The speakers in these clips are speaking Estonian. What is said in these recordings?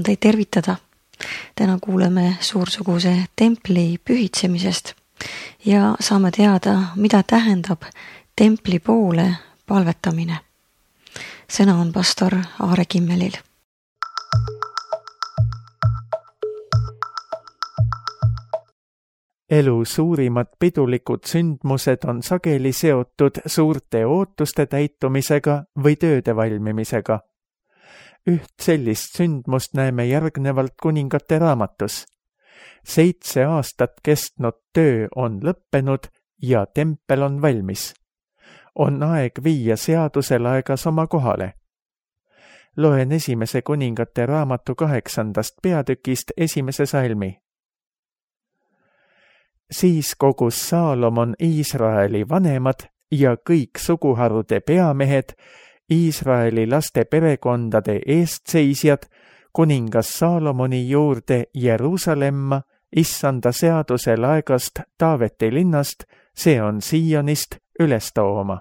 on teid tervitada. Täna kuuleme suursuguse templi pühitsemisest ja saame teada, mida tähendab templi poole palvetamine. Sõna on pastor Aare Kimmelil. Elu suurimad pidulikud sündmused on sageli seotud suurte ootuste täitumisega või tööde valmimisega. Üht sellist sündmust näeme järgnevalt Kuningate raamatus. 7 aastat kestnud töö on lõppenud ja tempel on valmis. On aeg viia seadusel aegas oma kohale. Loen 1. Kuningate raamatu 8. peatükist 1. salmi. Siis kogus Saalomon Iisraeli vanemad ja kõik suguharude peamehed, Iisraeli laste perekondade eestseisjad, kuningas Saalomoni juurde Jeruusalemma, issanda seadusel aegast Taaveti linnast, see on Siionist, üles tooma.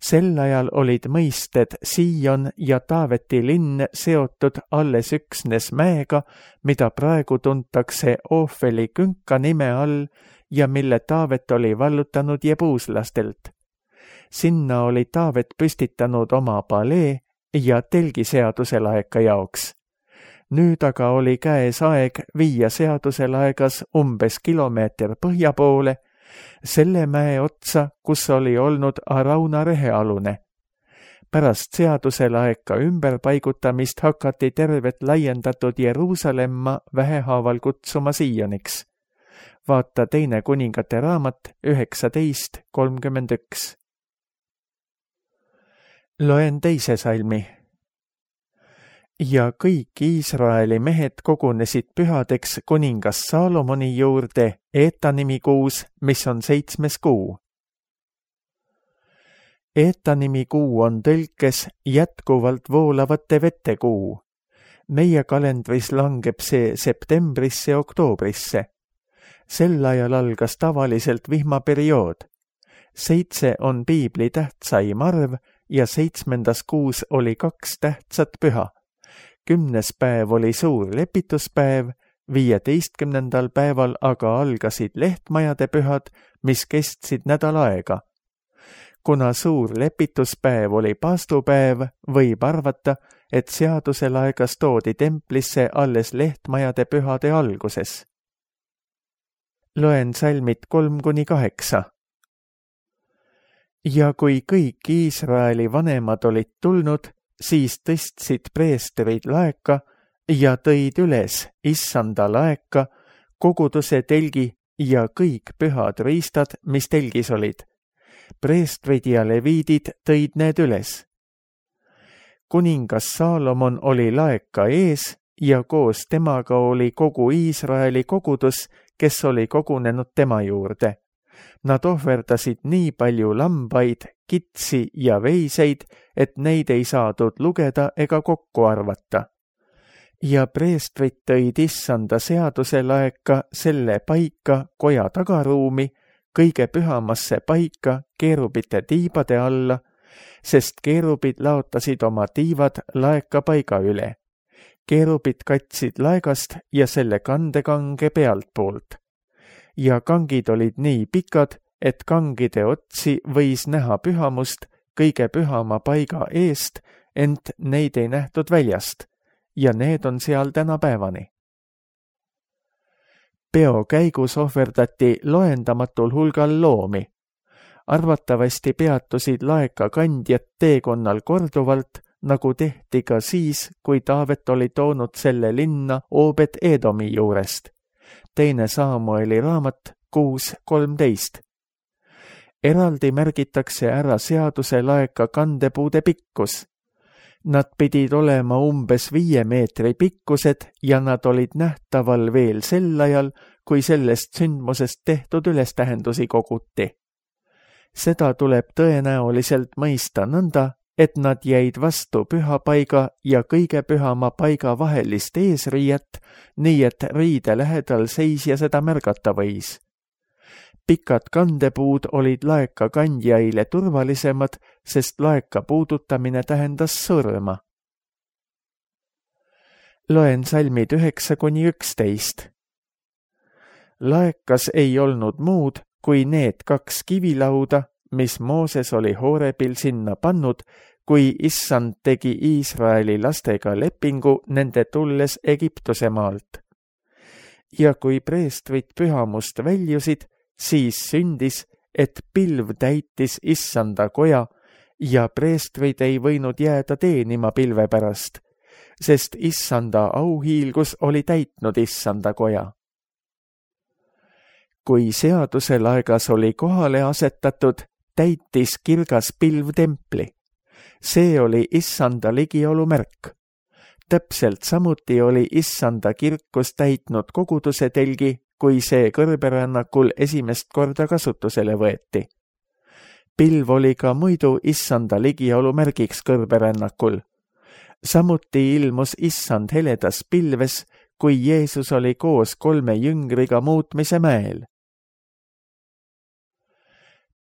Sel ajal olid mõisted Siion ja Taaveti linn seotud alles üksnes mäega, mida praegu tuntakse Oofeli künka nime all ja mille Taavet oli vallutanud jebuuslastelt. Sinna oli Taavet püstitanud oma palee ja telgiseaduse laeka jaoks. Nüüd aga oli käes aeg viia seaduse laegas umbes kilomeeter põhja poole, selle mäe otsa, kus oli olnud Arauna rehealune. Pärast seaduse laeka ümberpaigutamist hakati tervet laiendatud Jeruusalemma vähehaaval kutsuma Sioniks. Vaata 2. Kuningate raamat 19.31. Loen 2. salmi. Ja kõik Iisraeli mehed kogunesid pühadeks kuningas Saalomoni juurde Eetanimi kuus, mis on 7. kuu. Eetanimi kuu on tõlkes jätkuvalt voolavate vette kuu. Meie kalendris langeb see septembrisse ja oktoobrisse. Sel ajal algas tavaliselt vihmaperiood. 7 on piibli tähtsaim arv ja 7. kuus oli 2 tähtsat püha. 10. päev oli suur lepituspäev, 15. päeval aga algasid lehtmajade pühad, mis kestsid nädal aega. Kuna suur lepituspäev oli paastupäev, võib arvata, et seadusel aegas toodi templisse alles lehtmajade pühade alguses. Loen salmid 3-8. Ja kui kõik Iisraeli vanemad olid tulnud, siis tõstsid preestrid laeka ja tõid üles issanda laeka, koguduse telgi ja kõik pühad riistad, mis telgis olid. Preestrid ja leviidid tõid need üles. Kuningas Saalomon oli laeka ees ja koos temaga oli kogu Iisraeli kogudus, kes oli kogunenud tema juurde. Nad ohverdasid nii palju lambaid, kitsi ja veiseid, et neid ei saadud lugeda ega kokku arvata. Ja preestrid tõid issanda seaduse laeka selle paika koja tagaruumi, kõige pühamasse paika keerubite tiibade alla, sest keerubid laotasid oma tiivad laeka paiga üle. Keerubid katsid laegast ja selle kandekange pealtpoolt. Ja kangid olid nii pikad, et kangide otsi võis näha pühamust kõige pühama paiga eest, ent neid ei nähtud väljast, ja need on seal tänapäevani. Peo käigus ohverdati loendamatul hulgal loomi. Arvatavasti peatusid laeka kandjad teekonnal korduvalt, nagu tehti ka siis, kui Taavet oli toonud selle linna Obed-Edomi juurest. 2. Saamueli raamat 6.13. Eraldi märgitakse ära seaduse laeka kandepuude pikkus. Nad pidid olema umbes 5 meetri pikkused ja nad olid nähtaval veel sel ajal, kui sellest sündmusest tehtud ülestähendusi koguti. Seda tuleb tõenäoliselt mõista nõnda, et nad jäid vastu pühapaiga ja kõige pühama paiga vahelist eesriiet, nii et riide lähedal seisja seda märgata võis. Pikad kandepuud olid laeka kandjaile turvalisemad, sest laeka puudutamine tähendas surma. Loen salmid 9-11. Laekas ei olnud muud kui need 2 kivilauda, mis Mooses oli Horebil sinna pannud, kui Issand tegi Iisraeli lastega lepingu nende tulles Egiptuse maalt. Ja kui preestrid pühamust väljusid, siis sündis, et pilv täitis Issanda koja ja preestrid ei võinud jääda teenima pilve pärast, sest Issanda auhiilgus oli täitnud Issanda koja. Kui seaduse laegas oli kohale asetatud, täitis kirgas pilv templi. See oli Issanda ligiolu märk. Täpselt samuti oli Issanda kirkus täitnud koguduse telgi, kui see kõrberännakul esimest korda kasutusele võeti. Pilv oli ka muidu Issanda ligiolu märgiks kõrberännakul. Samuti ilmus Issand heledas pilves, kui Jeesus oli koos 3 jüngriga muutmise mäel.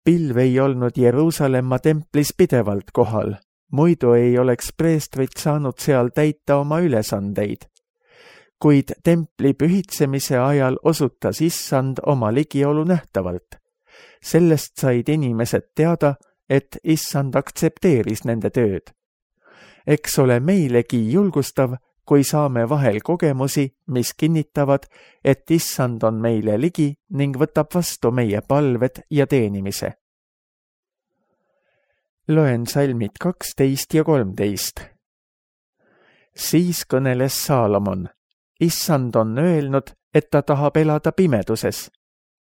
Pilv ei olnud Jeruusalemma templis pidevalt kohal, muidu ei oleks preestrid saanud seal täita oma ülesandeid. Kuid templi pühitsemise ajal osutas Issand oma ligiolu nähtavalt. Sellest said inimesed teada, et Issand aktsepteeris nende tööd. Eks ole meilegi julgustav, kui saame vahel kogemusi, mis kinnitavad, et Issand on meile ligi ning võtab vastu meie palved ja teenimise. Loen salmid 12 ja 13. Siis kõneles Saalomon. Issand on öelnud, et ta tahab elada pimeduses.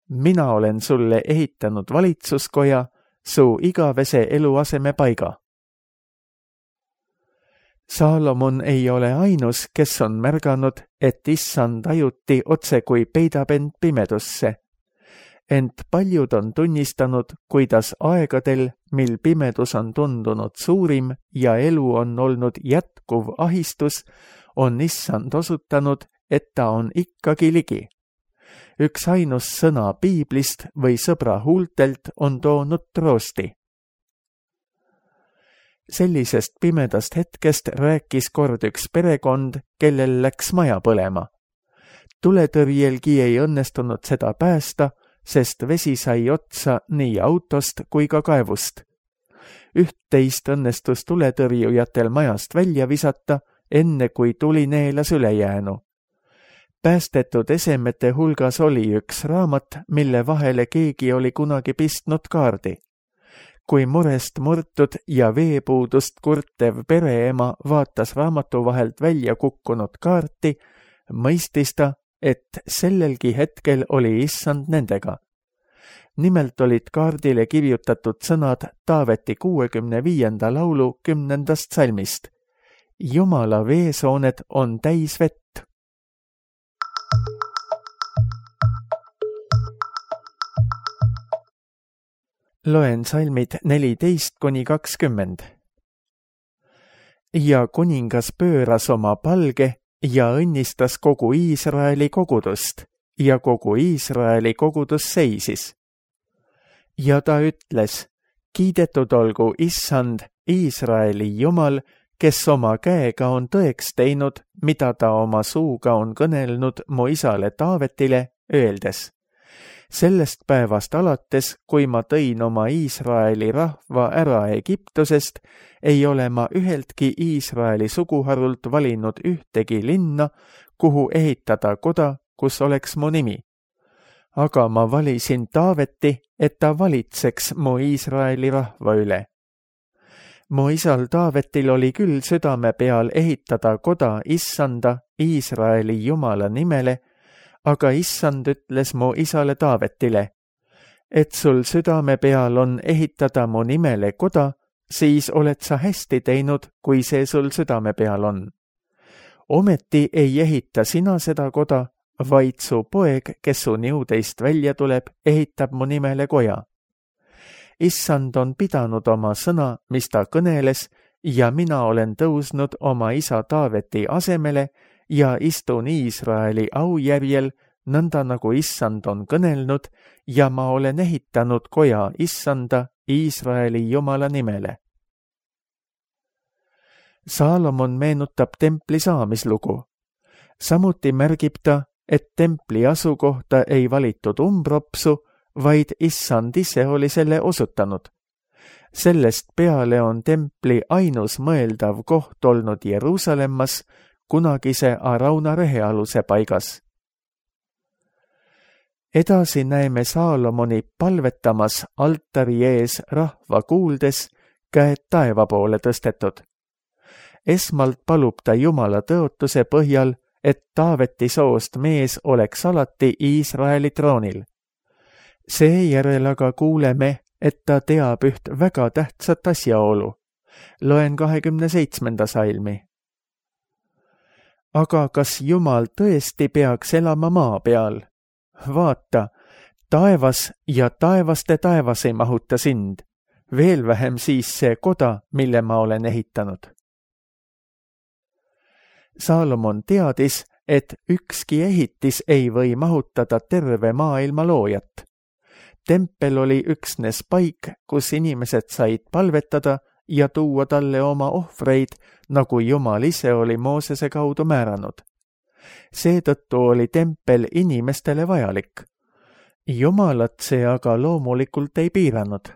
Mina olen sulle ehitanud valitsuskoja, su igavese eluaseme paiga. Saalomon ei ole ainus, kes on märganud, et Issand ajuti otse kui peidab end pimedusse. Ent paljud on tunnistanud, kuidas aegadel, mil pimedus on tundunud suurim ja elu on olnud jätkuv ahistus, on Issand osutanud, et ta on ikkagi ligi. Üks ainus sõna Piiblist või sõbra huultelt on toonud troosti. Sellisest pimedast hetkest rääkis kord üks perekond, kellel läks maja põlema. Tuletõrjelgi ei õnnestunud seda päästa, sest vesi sai otsa nii autost kui ka kaevust. Üht-teist õnnestus tuletõrjujatel majast välja visata, enne kui tuli neelas ülejäänu. Päästetud esemete hulgas oli üks raamat, mille vahele keegi oli kunagi pistnud kaardi. Kui murest murtud ja veepuudust kurtev pereema vaatas raamatu vahelt välja kukkunud kaarti, mõistis ta, et sellelgi hetkel oli Issand nendega. Nimelt olid kaardile kirjutatud sõnad Taaveti 65. laulu 10. salmist. Jumala veesooned on täis vett. Loen salmid 14-20. Ja kuningas pööras oma palge ja õnnistas kogu Iisraeli kogudust ja kogu Iisraeli kogudus seisis. Ja ta ütles, kiidetud olgu Issand, Iisraeli Jumal, kes oma käega on tõeks teinud, mida ta oma suuga on kõnelnud mu isale Taavetile, öeldes. Sellest päevast alates, kui ma tõin oma Iisraeli rahva ära Egiptusest, ei ole ma üheltki Iisraeli suguharult valinud ühtegi linna, kuhu ehitada koda, kus oleks mu nimi. Aga ma valisin Taaveti, et ta valitseks mu Iisraeli rahva üle. Mu isal Taavetil oli küll südame peal ehitada koda Issanda, Iisraeli Jumala nimele, aga Issand ütles mu isale Taavetile, et sul südame peal on ehitada mu nimele koda, siis oled sa hästi teinud, kui see sul südame peal on. Ometi ei ehita sina seda koda, vaid su poeg, kes su niudeist välja tuleb, ehitab mu nimele koja. Issand on pidanud oma sõna, mis ta kõneles, ja mina olen tõusnud oma isa Taaveti asemele ja istun Iisraeli aujärjel, nõnda nagu Issand on kõnelnud, ja ma olen ehitanud koja Issanda, Iisraeli Jumala nimele. Saalomon meenutab templi saamislugu. Samuti märgib ta, et templi asukohta ei valitud umbropsu, vaid issand ise oli selle osutanud. Sellest peale on templi ainus mõeldav koht olnud Jeruusalemmas, kunagise Arauna rehealuse paigas. Edasi näeme Saalomoni palvetamas altari ees rahva kuuldes, käed taeva poole tõstetud. Esmalt palub ta Jumala tõotuse põhjal, et Taaveti soost mees oleks alati Iisraeli troonil. Seejärel aga kuuleme, et ta teab üht väga tähtsat asjaolu. Loen 27. salmi. Aga kas Jumal tõesti peaks elama maa peal? Vaata, taevas ja taevaste taevas ei mahuta sind, veel vähem siis see koda, mille ma olen ehitanud. Saalomon teadis, et ükski ehitis ei või mahutada terve maailma loojat. Tempel oli üksnes paik, kus inimesed said palvetada ja tuua talle oma ohvreid, nagu Jumal ise oli Moosese kaudu määranud. Seetõttu oli tempel inimestele vajalik. Jumalat see aga loomulikult ei piiranud.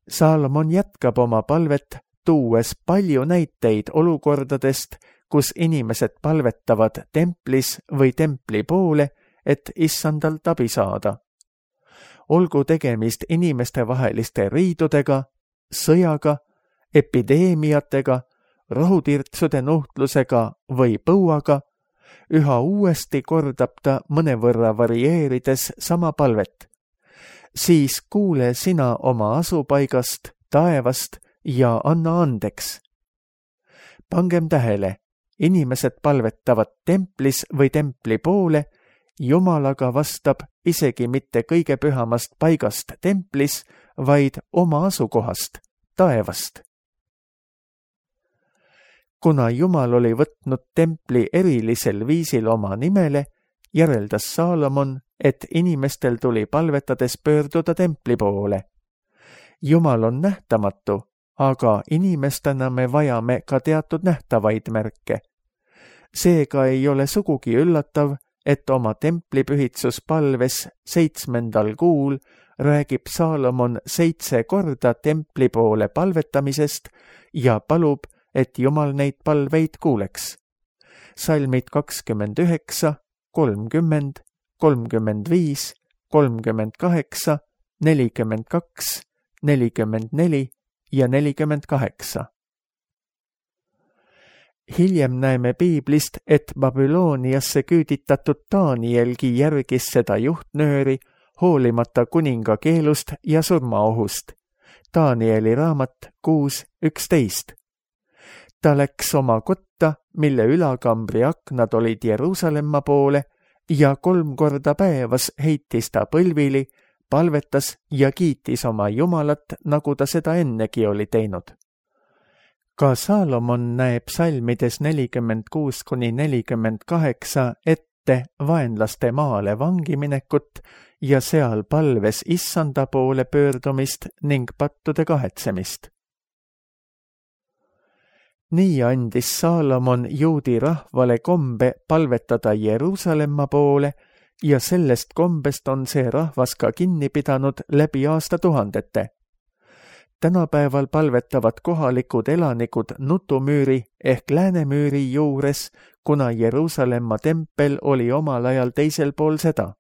Saalomon jätkab oma palvet, tuues palju näiteid olukordadest, kus inimesed palvetavad templis või templi poole, et issandalt abi saada. Olgu tegemist inimestevaheliste riidudega, sõjaga, epideemiatega, rohutirtsude nuhtlusega või põuaga, üha uuesti kordab ta mõnevõrra varieerides sama palvet. Siis kuule sina oma asupaigast, taevast ja anna andeks. Pangem tähele, inimesed palvetavad templis või templi poole, Jumal aga vastab isegi mitte kõige pühamast paigast templis, vaid oma asukohast, taevast. Kuna Jumal oli võtnud templi erilisel viisil oma nimele, järeldas Saalomon, et inimestel tuli palvetades pöörduda templi poole. Jumal on nähtamatu, aga inimestena me vajame ka teatud nähtavaid märke. Seega ei ole sugugi üllatav, et oma templipühitsuspalves 7. kuul räägib Saalomon 7 korda templi poole palvetamisest ja palub, et Jumal neid palveid kuuleks. Salmid 29, 30, 35, 38, 42, 44 ja 48. Hiljem näeme piiblist, et Babyloniasse küüditatud Danielgi järgis seda juhtnööri, hoolimata kuninga keelust ja surmaohust. Danieli raamat 6.11. Ta läks oma kotta, mille ülakambri aknad olid Jeruusalemma poole, ja 3 korda päevas heitis ta põlvili, palvetas ja kiitis oma Jumalat, nagu ta seda ennegi oli teinud. Ka Saalomon näeb salmides 46-48 ette vaenlaste maale vangiminekut ja seal palves issanda poole pöördumist ning pattude kahetsemist. Nii andis Saalomon juudi rahvale kombe palvetada Jeruusalemma poole ja sellest kombest on see rahvas ka kinni pidanud läbi aastatuhandete. Tänapäeval palvetavad kohalikud elanikud Nutumüüri ehk Läänemüüri juures, kuna Jeruusalemma tempel oli omal ajal teisel pool seda.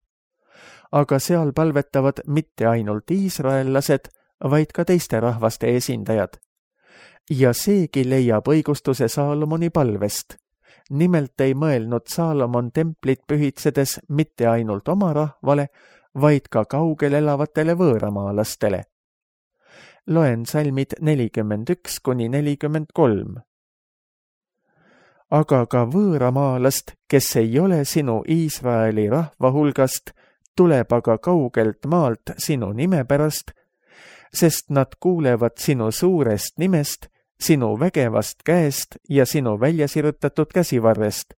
Aga seal palvetavad mitte ainult iisraellased, vaid ka teiste rahvaste esindajad. Ja seegi leiab õigustuse Saalomoni palvest. Nimelt ei mõelnud Saalomon templit pühitsedes mitte ainult oma rahvale, vaid ka kaugel elavatele võõramaalastele. Loen salmid 41-43. Aga ka võõramaalast, kes ei ole sinu Iisraeli rahva hulgast, tuleb aga kaugelt maalt sinu nime pärast, sest nad kuulevad sinu suurest nimest, sinu vägevast käest ja sinu väljasirutatud käsivarrest.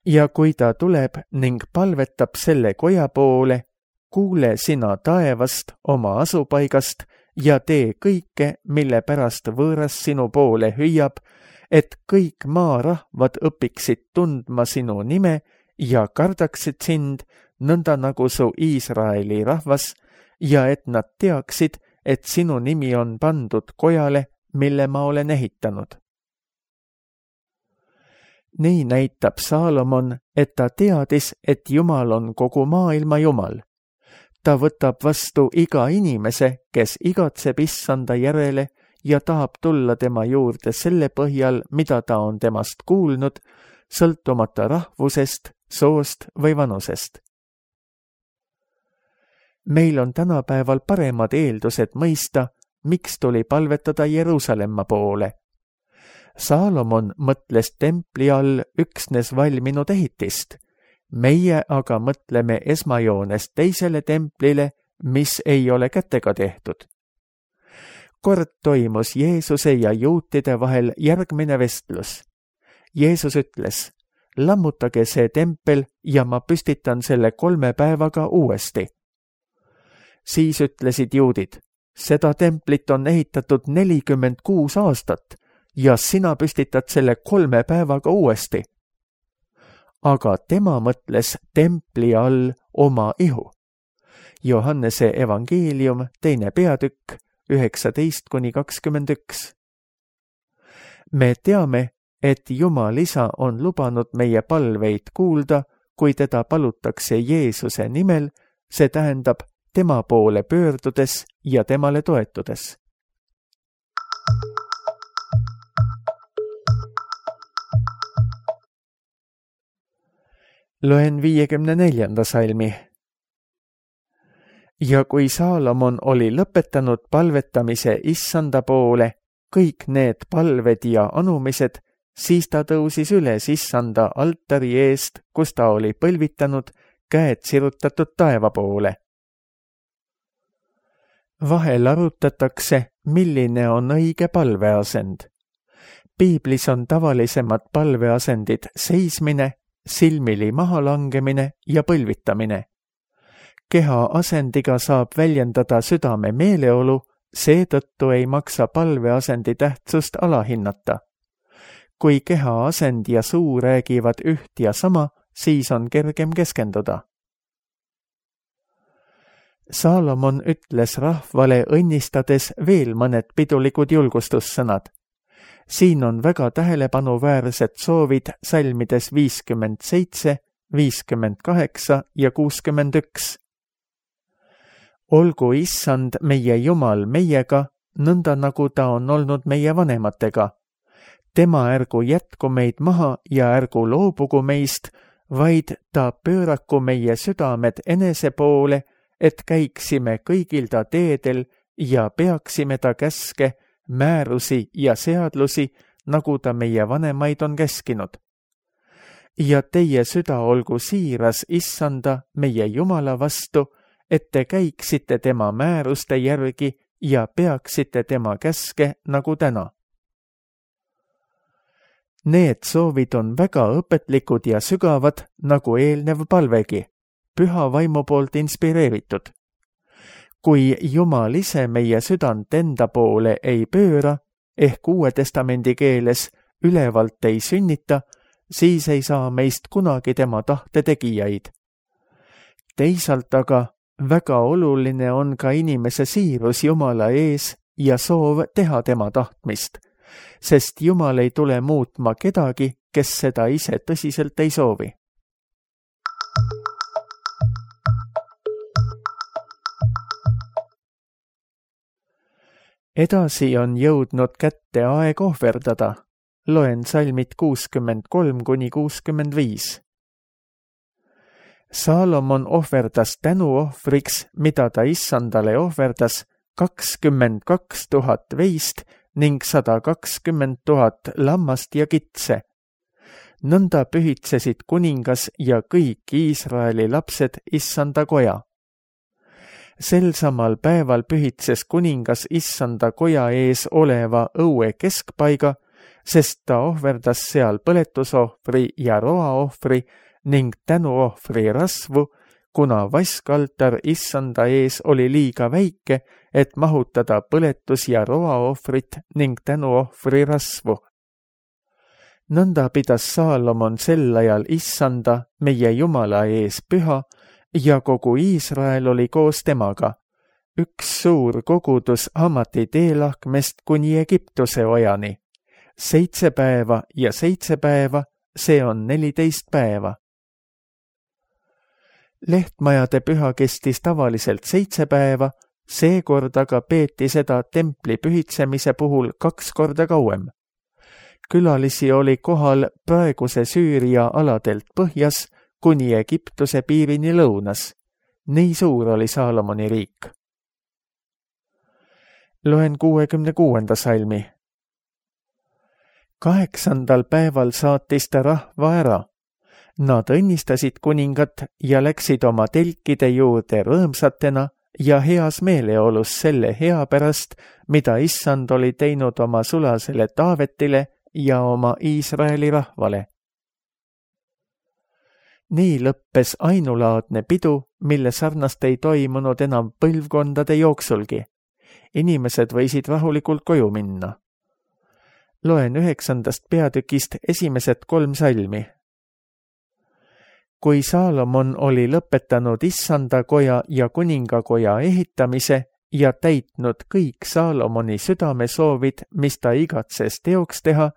Ja kui ta tuleb ning palvetab selle koja poole, kuule sina taevast oma asupaigast ja tee kõike, mille pärast võõras sinu poole hüüab, et kõik maarahvad õpiksid tundma sinu nime ja kardaksid sind, nõnda nagu su Iisraeli rahvas, ja et nad teaksid, et sinu nimi on pandud kojale, mille ma olen ehitanud. Nii näitab Saalomon, et ta teadis, et Jumal on kogu maailma Jumal. Ta võtab vastu iga inimese, kes igatseb Issanda järele ja tahab tulla tema juurde selle põhjal, mida ta on temast kuulnud, sõltumata rahvusest, soost või vanusest. Meil on tänapäeval paremad eeldused mõista, miks tuli palvetada Jeruusalemma poole. Saalomon mõtles templi all üksnes valminud ehitist. Meie aga mõtleme esmajoones teisele templile, mis ei ole kätega tehtud. Kord toimus Jeesuse ja juutide vahel järgmine vestlus. Jeesus ütles, lammutage see tempel ja ma püstitan selle 3 päevaga uuesti. Siis ütlesid juudid, seda templit on ehitatud 46 aastat ja sina püstitad selle 3 päevaga uuesti. Aga tema mõtles templi all oma ihu. Johannese evangeelium, 2. peatükk, 19-21. Me teame, et Jumal Isa on lubanud meie palveid kuulda, kui teda palutakse Jeesuse nimel, see tähendab tema poole pöördudes ja temale toetudes. Loen 54. salmi. Ja kui Saalomon oli lõpetanud palvetamise Issanda poole, kõik need palved ja anumised, siis ta tõusis üles Issanda altari eest, kus ta oli põlvitanud, käed sirutatud taeva poole. Vahel arutatakse, milline on õige palveasend. Piiblis on tavalisemad palveasendid seismine, silmili mahalangemine ja põlvitamine. Keha asendiga saab väljendada südame meeleolu, seetõttu ei maksa palveasendi tähtsust alahinnata. Kui keha asend ja suu räägivad üht ja sama, siis on kergem keskenduda. Saalomon ütles rahvale õnnistades veel mõned pidulikud julgustussõnad. Siin on väga tähelepanuväärsed soovid salmides 57, 58 ja 61. Olgu Issand meie Jumal meiega, nõnda nagu ta on olnud meie vanematega. Tema ärgu jätku meid maha ja ärgu loobugu meist, vaid ta pööraku meie südamed enese poole, et käiksime kõigil ta teedel ja peaksime ta käske, määrusi ja seadlusi, nagu ta meie vanemaid on käskinud. Ja teie süda olgu siiras Issanda, meie Jumala vastu, et te käiksite tema määruste järgi ja peaksite tema käske nagu täna. Need soovid on väga õpetlikud ja sügavad, nagu eelnev palvegi, püha vaimu poolt inspireeritud. Kui Jumal ise meie südant enda poole ei pööra, ehk Uue Testamendi keeles ülevalt ei sünnita, siis ei saa meist kunagi tema tahte tegijaid. Teisalt aga väga oluline on ka inimese siirus Jumala ees ja soov teha tema tahtmist, sest Jumal ei tule muutma kedagi, kes seda ise tõsiselt ei soovi. Edasi on jõudnud kätte aeg ohverdada. Loen salmid 63-65. Saalomon ohverdas tänuohvriks, mida ta Issandale ohverdas, 22 000 veist ning 120 000 lammast ja kitse. Nõnda pühitsesid kuningas ja kõik Iisraeli lapsed Issanda koja. Sel samal päeval pühitses kuningas Issanda koja ees oleva õue keskpaiga, sest ta ohverdas seal põletusohvri ja roaohvri ning tänuohvri rasvu, kuna vaskaltar Issanda ees oli liiga väike, et mahutada põletus- ja roaohvrit ning tänuohvri rasvu. Nõnda pidas Saalomon sel ajal Issanda, meie Jumala ees püha ja kogu Iisrael oli koos temaga. Üks suur kogudus Hamati teelahkmest kuni Egiptuse ojani. 7 päeva ja 7 päeva, see on 14 päeva. Lehtmajade püha kestis tavaliselt 7 päeva, seekord aga peeti seda templi pühitsemise puhul 2 korda kauem. Külalisi oli kohal praeguse Süüria aladelt põhjas kuni Egiptuse piirini lõunas. Nii suur oli Saalomoni riik. Loen 66. salmi. 8. päeval saatis ta rahva ära. Nad õnnistasid kuningat ja läksid oma telkide juurde rõõmsatena ja heas meeleolus selle hea pärast, mida Issand oli teinud oma sulasele Taavetile ja oma Iisraeli rahvale. Nii lõppes ainulaadne pidu, mille sarnast ei toimunud enam põlvkondade jooksulgi. Inimesed võisid rahulikult koju minna. Loen 9. peatükist esimesed 3 salmi. Kui Saalomon oli lõpetanud Issanda koja ja kuningakoja ehitamise ja täitnud kõik Saalomoni südamesoovid, mis ta igatses teoks teha,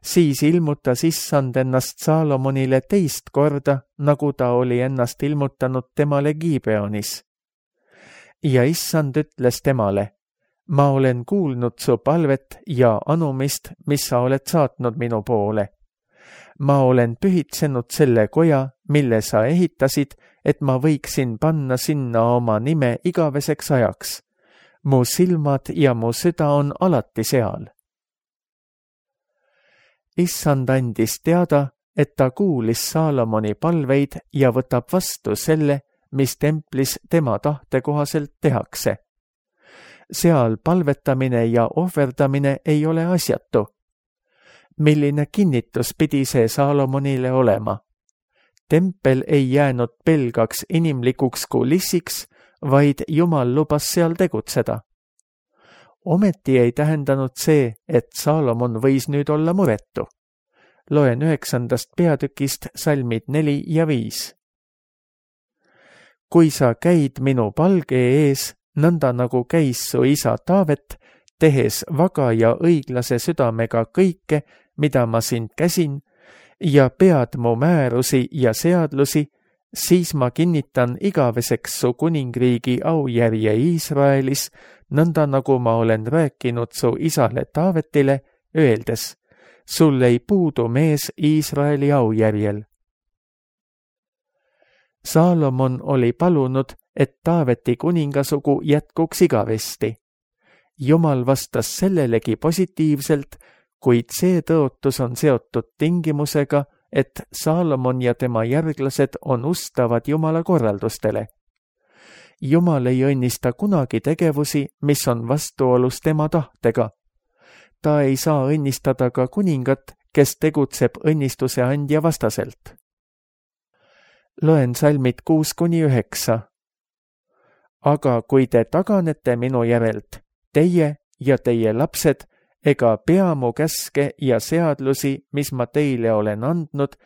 siis ilmutas Issand ennast Saalomonile teist korda, nagu ta oli ennast ilmutanud temale Gibeonis. Ja Issand ütles temale, ma olen kuulnud su palvet ja anumist, mis sa oled saatnud minu poole. Ma olen pühitsenud selle koja, mille sa ehitasid, et ma võiksin panna sinna oma nime igaveseks ajaks. Mu silmad ja mu süda on alati seal. Issand andis teada, et ta kuulis Saalomoni palveid ja võtab vastu selle, mis templis tema tahte kohaselt tehakse. Seal palvetamine ja ohverdamine ei ole asjatu. Milline kinnitus pidi see Saalomonile olema? Tempel ei jäänud pelgaks inimlikuks kulissiks, vaid Jumal lubas seal tegutseda. Ometi ei tähendanud see, et Saalomon võis nüüd olla muretu. Loen 9. peatükist salmid 4 ja 5. Kui sa käid minu palge ees, nõnda nagu käis su isa Taavet, tehes vaga ja õiglase südamega kõike, mida ma sind käsin, ja pead mu määrusi ja seadlusi, siis ma kinnitan igaveseks su kuningriigi aujärje Iisraelis, nõnda nagu ma olen rääkinud su isale Taavetile, öeldes, sul ei puudu mees Iisraeli aujärjel. Saalomon oli palunud, et Taaveti kuningasugu jätkuks igavesti. Jumal vastas sellelegi positiivselt, kuid see tõotus on seotud tingimusega, et Saalomon ja tema järglased on ustavad Jumala korraldustele. Jumal ei õnnista kunagi tegevusi, mis on vastuolus tema tahtega. Ta ei saa õnnistada ka kuningat, kes tegutseb õnnistuse andja vastaselt. Loen salmid 6-9. Aga kui te taganete minu järelt, teie ja teie lapsed, ega pea mu käske ja seadlusi, mis ma teile olen andnud,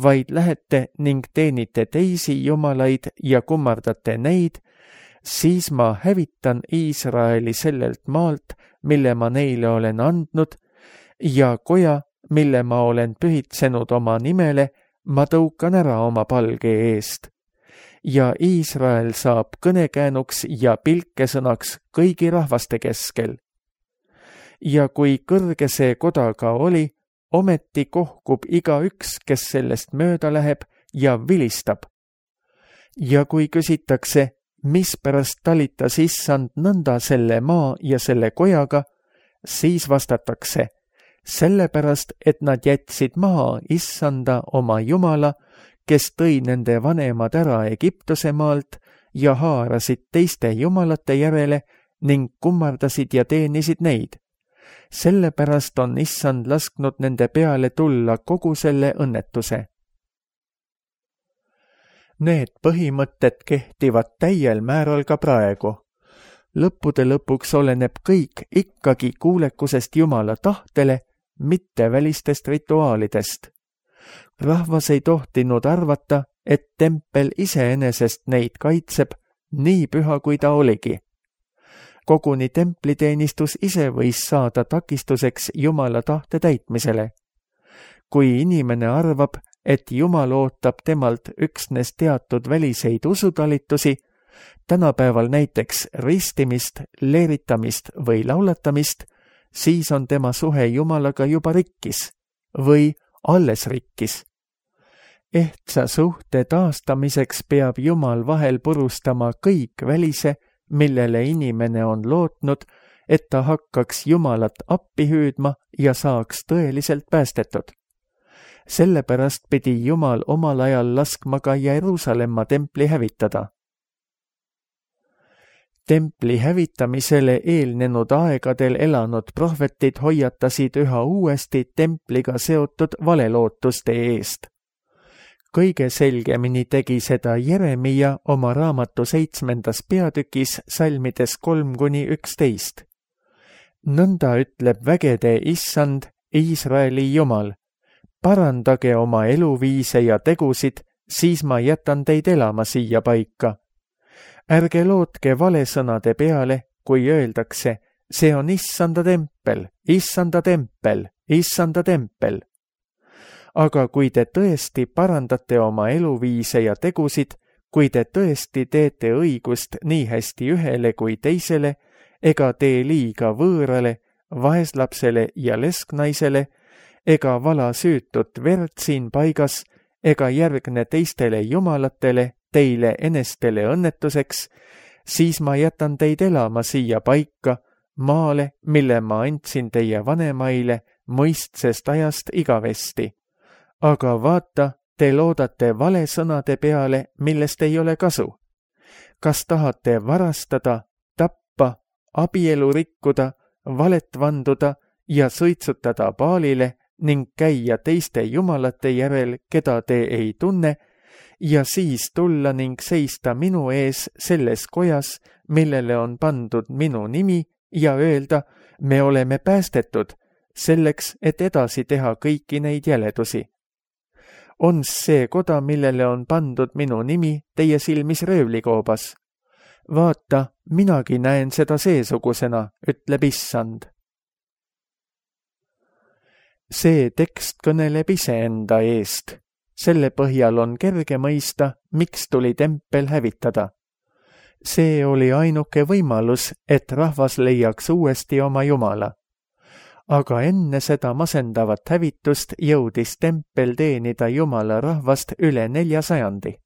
vaid lähete ning teenite teisi jumalaid ja kummardate neid, siis ma hävitan Iisraeli sellelt maalt, mille ma neile olen andnud, ja koja, mille ma olen pühitsenud oma nimele, ma tõukan ära oma palge eest. Ja Iisrael saab kõnekäänuks ja pilkesõnaks kõigi rahvaste keskel. Ja kui kõrge see koda ka oli, ometi kohkub igaüks, kes sellest mööda läheb ja vilistab. Ja kui küsitakse, mispärast talitas Issand nõnda selle maa ja selle kojaga, siis vastatakse, sellepärast, et nad jätsid maha Issanda oma Jumala, kes tõi nende vanemad ära Egiptuse maalt ja haarasid teiste jumalate järele ning kummardasid ja teenisid neid. Sellepärast on Issand lasknud nende peale tulla kogu selle õnnetuse. Need põhimõtted kehtivad täiel määral ka praegu. Lõppude lõpuks oleneb kõik ikkagi kuulekusest Jumala tahtele mitte välistest rituaalidest. Rahvas ei tohtinud arvata, et tempel iseenesest neid kaitseb, nii püha kui ta oligi. Koguni templiteenistus ise võis saada takistuseks Jumala tahte täitmisele. Kui inimene arvab, et Jumal ootab temalt üksnes teatud väliseid usutalitusi, tänapäeval näiteks ristimist, leeritamist või laulatamist, siis on tema suhe Jumalaga juba rikkis või alles rikkis. Ehtsa suhte taastamiseks peab Jumal vahel purustama kõik välise, millele inimene on lootnud, et ta hakkaks Jumalat appi hüüdma ja saaks tõeliselt päästetud. Sellepärast pidi Jumal omal ajal laskma ka Jeruusalemma templi hävitada. Templi hävitamisele eelnenud aegadel elanud prohvetid hoiatasid üha uuesti templiga seotud valelootuste eest. Kõige selgemini tegi seda Jeremia oma raamatu 7. peatükis salmides 3-11. Nõnda ütleb vägede issand, Iisraeli Jumal, parandage oma eluviise ja tegusid, siis ma jätan teid elama siia paika. Ärge lootke valesõnade peale, kui öeldakse, see on issanda tempel, issanda tempel, issanda tempel. Aga kui te tõesti parandate oma eluviise ja tegusid, kui te tõesti teete õigust nii hästi ühele kui teisele, ega tee liiga võõrale, vaeslapsele ja lesknaisele, ega vala süütut verd siin paigas, ega järgne teistele jumalatele, teile enestele õnnetuseks, siis ma jätan teid elama siia paika, maale, mille ma andsin teie vanemaile mõistsest ajast igavesti. Aga vaata, te loodate valesõnade peale, millest ei ole kasu. Kas tahate varastada, tappa, abielu rikkuda, valet vanduda ja suitsutada Baalile ning käia teiste jumalate järel, keda te ei tunne, ja siis tulla ning seista minu ees selles kojas, millele on pandud minu nimi, ja öelda, me oleme päästetud, selleks, et edasi teha kõiki neid jäledusi. On see koda, millele on pandud minu nimi, teie silmis röövlikoobas? Vaata, minagi näen seda seesugusena, ütleb issand. See tekst kõneleb iseenda eest. Selle põhjal on kerge mõista, miks tuli tempel hävitada. See oli ainuke võimalus, et rahvas leiaks uuesti oma Jumala. Aga enne seda masendavat hävitust jõudis tempel teenida Jumala rahvast üle 400.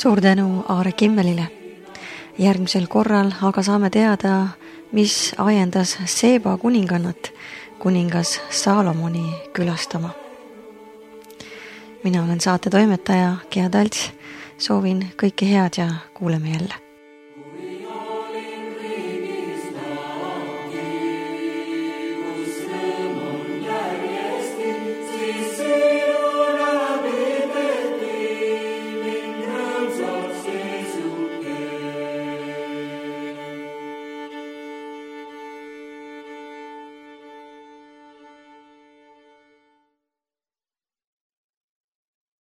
Suur tänu Aare Kimmelile. Järgmisel korral aga saame teada, mis ajendas Seeba kuningannat kuningas Saalomoni külastama. Mina olen saate toimetaja Gea Talts. Soovin kõike head ja kuuleme jälle.